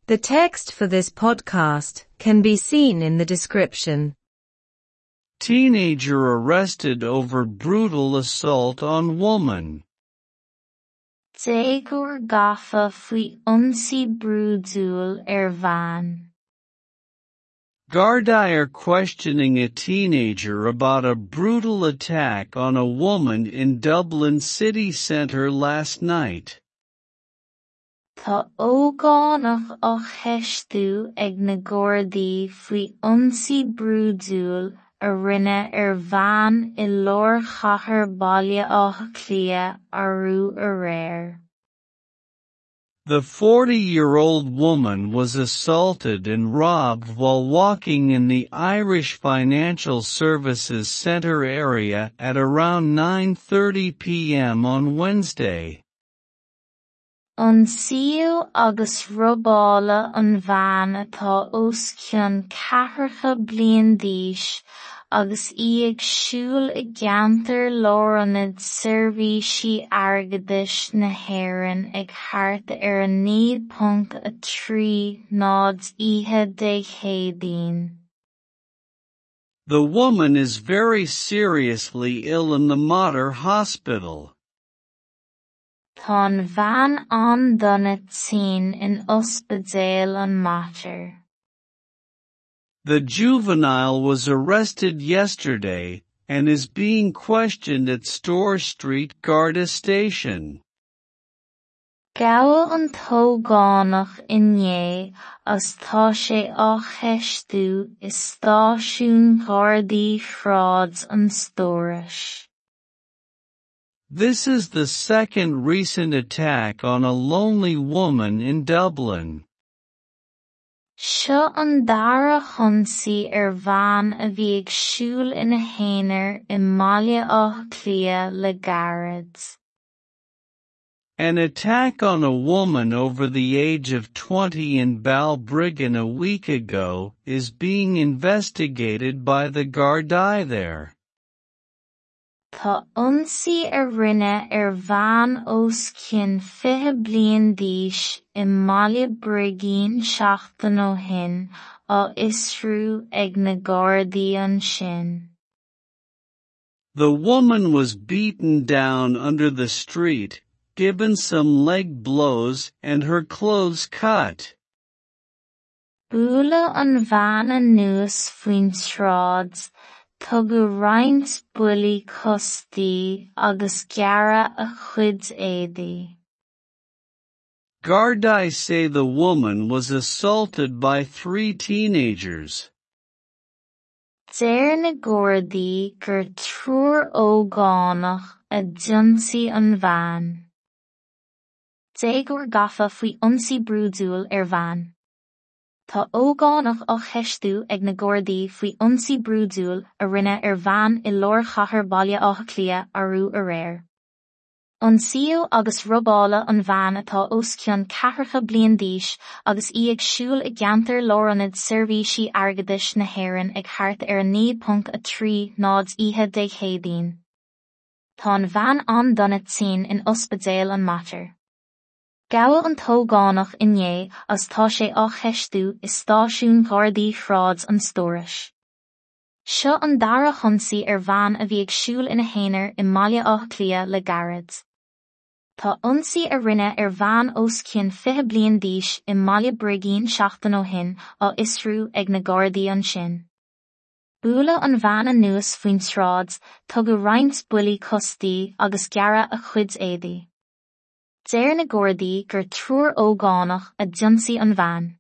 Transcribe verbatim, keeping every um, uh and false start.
The text for this podcast can be seen in the description. Teenager arrested over brutal assault on woman. Déagóir gafa faoi ionsaí brúidiúil ar bhean. Gardaí are questioning a teenager about a brutal attack on a woman in Dublin city centre last night. Tá ógánach á cheistiú ag na Gardaí faoi ionsaí brúidiúil a rinneadh ar bhean i lár chathair Bhaile Átha Cliath arú aréir. The forty-year-old woman was assaulted and robbed while walking in the Irish Financial Services Centre area at around nine thirty p m on Wednesday. Ionsaíodh agus robáladh an bhean atá os cionn ceathracha bliain d'aois agus í ag siúl i gceantar lárionad seirbhísí airgeadais na hÉireann ag thart ar a naoi ponc a trí náid oíche Dé Céadaoin. The woman is very seriously ill in the Mater Hospital. Tá an bhean an-dona tinn in ospidéal an Mater. The juvenile was arrested yesterday and is being questioned at Store Street Garda Station. Gabhadh an t-ógánach inné agus tá sé á cheistiú i stáisiún Ghardaí Shráid an Stórais. This is the second recent attack on a lonely woman in Dublin. Seo an dara hionsaí ar bhean a bhí ag siúl ina haonar i mBaile Átha Cliath le gairid. An attack on a woman over the age of twenty in Balbriggan a week ago is being investigated by the Gardaí there. Tá ionsaí a rinneadh ar bhean os cionn fiche bliain d'aois i mBaile Brigín seachtain ó shin á fhiosrú ag na Gardaí ansin. The woman was beaten down under the street, given some leg blows and her clothes cut. Bualadh an bhean anuas faoin tsráid, tugadh roinnt buillí cos di agus gearradh a chuid éadaí. Gardaí say the woman was assaulted by three teenagers. Deir na Gardaí gur triúr ógánach a d'ionsaigh an bhean. Déagóir gafa faoi ionsaí brúidiúil ar bhean. Tá ógánach á cheistiú ag na Gardaí faoi ionsaí brúidiúil a rinneadh ar bhean i lár chathair Bhaile Átha Cliath arú aréir. Ionsaíodh agus robáladh an bhean atá os cionn ceathracha bliain d'aois agus í ag siúl i gceantar lárionad seirbhísí airgeadais na hÉireann ag thart ar a naoi ponc a trí náid oíche Dé Céadaoin. Tá an bhean an-dona tinn in ospidéal an Mater. Gabhadh an t-ógánach inné agus tá sé á cheistiú i stáisiún Ghardaí Shráid an Stórais. Seo an dara hionsaí ar bhean a bhí ag siúl ina haonar i mBaile Átha Cliath le gairid. Tá ionsaí a rinneadh ar bhean os cionn fiche bliain d'aois i mBaile Brigín seachtain ó shin á fhiosrú ag na Gardaí ansin. Bualadh an bhean anuas faoin tsráid, tugadh roinnt buillí cos di agus gearradh a chuid éadaí. Deir na Gardaí gur triúr ógánach a d'ionsaigh an bhean.